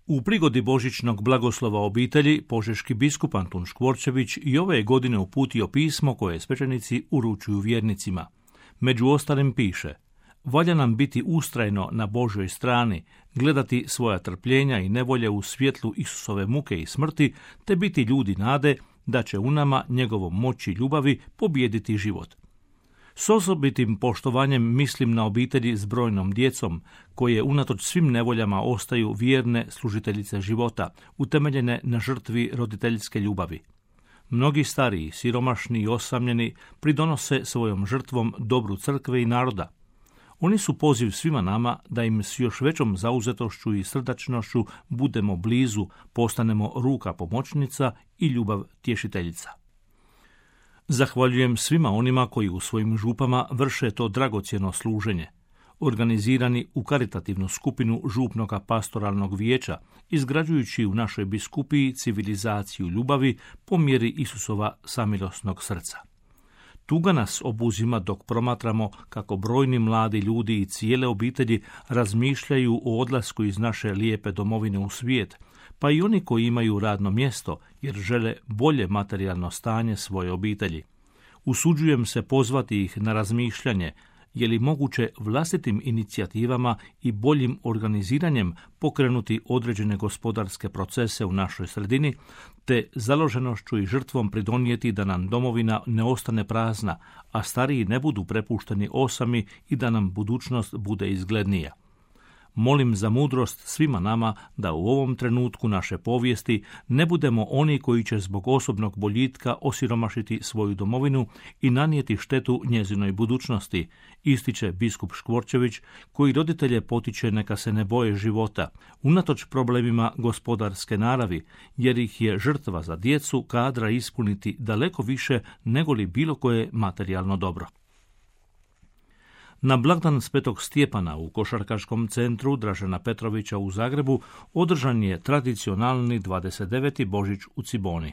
U prigodi božićnog blagoslova obitelji, požeški biskup Antun Škvorčević i ove godine uputio pismo koje svećenici uručuju vjernicima. Među ostalim piše: valja nam biti ustrajno na Božjoj strani, gledati svoja trpljenja i nevolje u svjetlu Isusove muke i smrti, te biti ljudi nade da će u nama njegovom moći i ljubavi pobijediti život. S osobitim poštovanjem mislim na obitelji s brojnom djecom, koje unatoč svim nevoljama ostaju vjerne služiteljice života, utemeljene na žrtvi roditeljske ljubavi. Mnogi stariji, siromašni i osamljeni pridonose svojom žrtvom dobru crkve i naroda. Oni su poziv svima nama da im s još većom zauzetošću i srdačnošću budemo blizu, postanemo ruka pomoćnica i ljubav tješiteljica. Zahvaljujem svima onima koji u svojim župama vrše to dragocjeno služenje. Organizirani u karitativnu skupinu župnoga pastoralnog vijeća, izgrađujući u našoj biskupiji civilizaciju ljubavi po mjeri Isusova samilosnog srca. Tuga nas obuzima dok promatramo kako brojni mladi ljudi i cijele obitelji razmišljaju o odlasku iz naše lijepe domovine u svijet, pa i oni koji imaju radno mjesto jer žele bolje materijalno stanje svoje obitelji. Usuđujem se pozvati ih na razmišljanje, je li moguće vlastitim inicijativama i boljim organiziranjem pokrenuti određene gospodarske procese u našoj sredini, te založenošću i žrtvom pridonijeti da nam domovina ne ostane prazna, a stariji ne budu prepušteni osami i da nam budućnost bude izglednija. Molim za mudrost svima nama da u ovom trenutku naše povijesti ne budemo oni koji će zbog osobnog boljitka osiromašiti svoju domovinu i nanijeti štetu njezinoj budućnosti, ističe biskup Škvorčević, koji roditelje potiče neka se ne boje života, unatoč problemima gospodarske naravi, jer ih je žrtva za djecu kadra ispuniti daleko više nego li bilo koje materijalno dobro. Na blagdan Svetog Stjepana u košarkaškom centru Dražena Petrovića u Zagrebu održan je tradicionalni 29. Božić u Ciboni.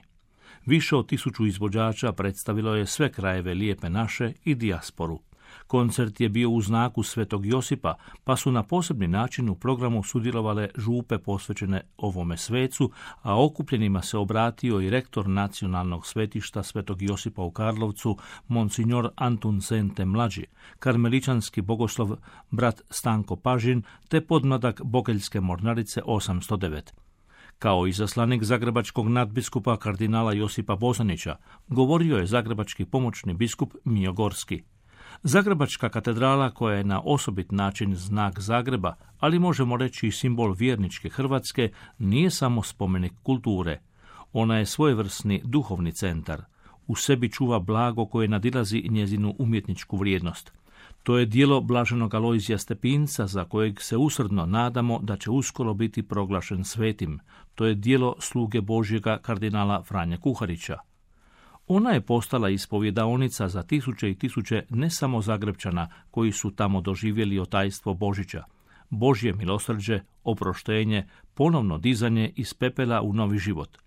Više od 1000 izvođača predstavilo je sve krajeve Lijepe naše i dijasporu. Koncert je bio u znaku Svetog Josipa, pa su na posebni način u programu sudjelovale župe posvećene ovome svecu, a okupljenima se obratio i rektor nacionalnog svetišta Svetog Josipa u Karlovcu, monsignor Antun Sente mlađi, karmeličanski bogoslov brat Stanko Pažin, te podmladak Bokeljske mornarice 809. Kao izaslanik zagrebačkog nadbiskupa kardinala Josipa Bozanića, govorio je zagrebački pomoćni biskup Mijo Gorski. Zagrebačka katedrala, koja je na osobit način znak Zagreba, ali možemo reći i simbol vjerničke Hrvatske, nije samo spomenik kulture. Ona je svojevrsni duhovni centar. U sebi čuva blago koje nadilazi njezinu umjetničku vrijednost. To je djelo blaženog Alojzija Stepinca, za kojeg se usrdno nadamo da će uskoro biti proglašen svetim. To je djelo sluge Božjega kardinala Franje Kuharića. Ona je postala ispovjedaonica za tisuće i tisuće ne samo Zagrebčana koji su tamo doživjeli otajstvo Božića, Božje milosrđe, oproštenje, ponovno dizanje iz pepela u novi život.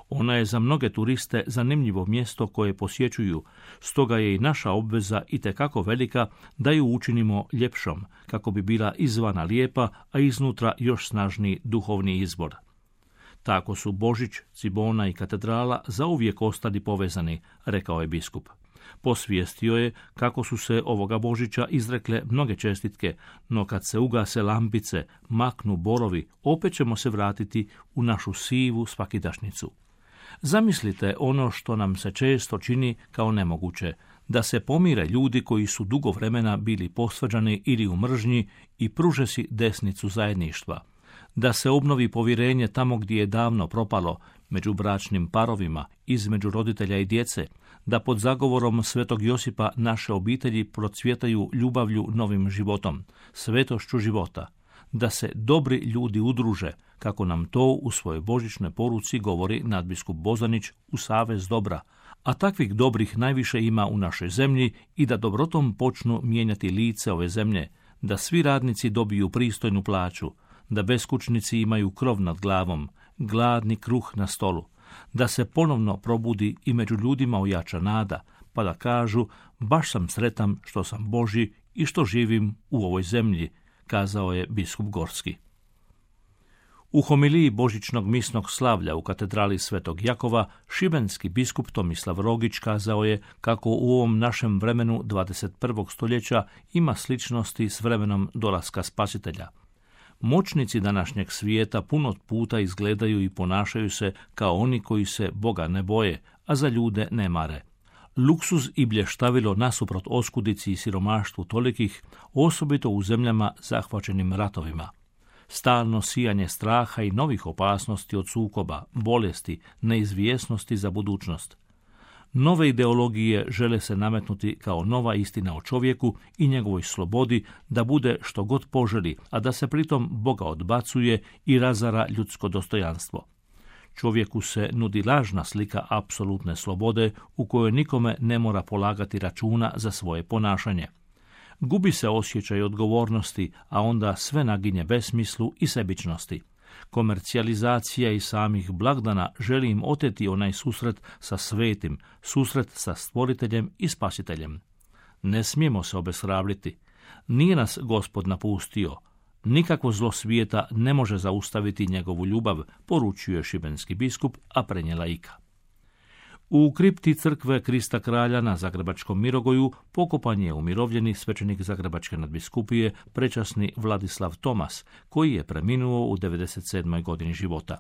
Ona je za mnoge turiste zanimljivo mjesto koje posjećuju, stoga je i naša obveza itekako velika da ju učinimo ljepšom, kako bi bila izvana lijepa, a iznutra još snažniji duhovni izbor. Tako su Božić, Cibona i katedrala zauvijek ostali povezani, rekao je biskup. Posvijestio je kako su se ovoga Božića izrekle mnoge čestitke, no kad se ugase lampice, maknu borovi, opet ćemo se vratiti u našu sivu svakidašnjicu. Zamislite ono što nam se često čini kao nemoguće, da se pomire ljudi koji su dugo vremena bili posvađani ili u mržnji i pruže si desnicu zajedništva. Da se obnovi povjerenje tamo gdje je davno propalo, među bračnim parovima, između roditelja i djece, da pod zagovorom Svetog Josipa naše obitelji procvjetaju ljubavlju novim životom, svetošću života, da se dobri ljudi udruže, kako nam to u svojoj božićnoj poruci govori nadbiskup Bozanić u Savez dobra, a takvih dobrih najviše ima u našoj zemlji i da dobrotom počnu mijenjati lice ove zemlje, da svi radnici dobiju pristojnu plaću, da beskućnici imaju krov nad glavom, gladni kruh na stolu, da se ponovno probudi i među ljudima ojača nada, pa da kažu baš sam sretan što sam Božji i što živim u ovoj zemlji, kazao je biskup Gorski. U homiliji božićnog misnog slavlja u katedrali Svetog Jakova, šibenski biskup Tomislav Rogić kazao je kako u ovom našem vremenu 21. stoljeća ima sličnosti s vremenom dolaska Spasitelja. Moćnici današnjeg svijeta puno puta izgledaju i ponašaju se kao oni koji se Boga ne boje, a za ljude ne mare. Luksuz i blještavilo nasuprot oskudici i siromaštvu tolikih, osobito u zemljama zahvaćenim ratovima. Stalno sijanje straha i novih opasnosti od sukoba, bolesti, neizvjesnosti za budućnost. Nove ideologije žele se nametnuti kao nova istina o čovjeku i njegovoj slobodi da bude što god poželi, a da se pritom Boga odbacuje i razara ljudsko dostojanstvo. Čovjeku se nudi lažna slika apsolutne slobode u kojoj nikome ne mora polagati računa za svoje ponašanje. Gubi se osjećaj odgovornosti, a onda sve naginje besmislu i sebičnosti. Komercijalizacija i samih blagdana želi im oteti onaj susret sa svetim, susret sa stvoriteljem i spasiteljem. Ne smijemo se obeshrabriti. Nije nas Gospod napustio. Nikakvo zlo svijeta ne može zaustaviti njegovu ljubav, poručuje šibenski biskup, a prenijela Ika. U kripti crkve Krista Kralja na Zagrebačkom Mirogoju pokopan je umirovljeni svećenik Zagrebačke nadbiskupije prečasni Vladislav Tomas, koji je preminuo u 97. godini života.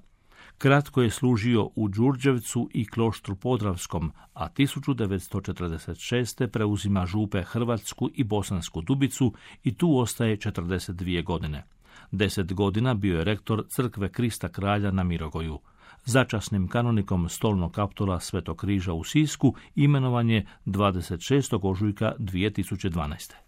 Kratko je služio u Đurđevcu i Kloštru Podravskom, a 1946. preuzima župe Hrvatsku i Bosansku Dubicu i tu ostaje 42 godine. 10 godina bio je rektor crkve Krista Kralja na Mirogoju. Začasnim kanonikom stolnog kaptola Svetog križa u Sisku imenovan je 26. ožujka 2012.